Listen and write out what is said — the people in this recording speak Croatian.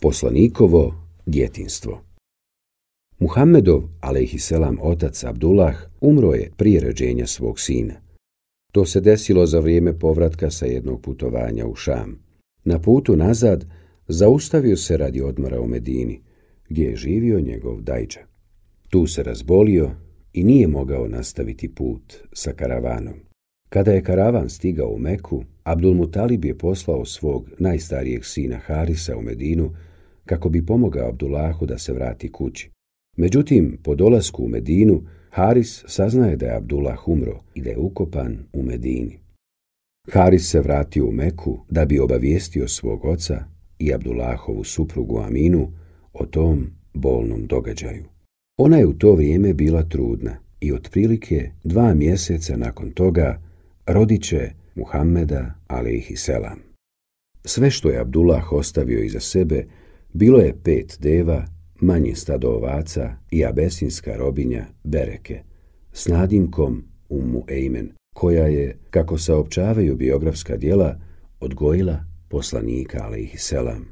Poslanikovo djetinjstvo. Muhammedov, alejhiselam, otac Abdullah umro je prije rođenja svog sina. To se desilo za vrijeme povratka sa jednog putovanja u Šam. Na putu nazad zaustavio se radi odmora u Medini, gdje je živio njegov dajđa. Tu se razbolio i nije mogao nastaviti put sa karavanom. Kada je karavan stigao u Meku, Abdulmutalib je poslao svog najstarijeg sina Harisa u Medinu kako bi pomogao Abdullahu da se vrati kući. Međutim, po dolasku u Medinu, Haris saznaje da je Abdullah umro i da je ukopan u Medini. Haris se vratio u Meku da bi obavijestio svog oca i Abdullahovu suprugu Aminu o tom bolnom događaju. Ona je u to vrijeme bila trudna i otprilike 2 mjeseca nakon toga rodit će Muhammeda, alejhiselam. Sve što je Abdullah ostavio iza sebe bilo je 5 deva, manje stado ovaca i abesinska robinja Bereke s nadimkom Ummu Ejmen, koja je, kako saopćavaju biografska djela, odgojila poslanika alejhiselam.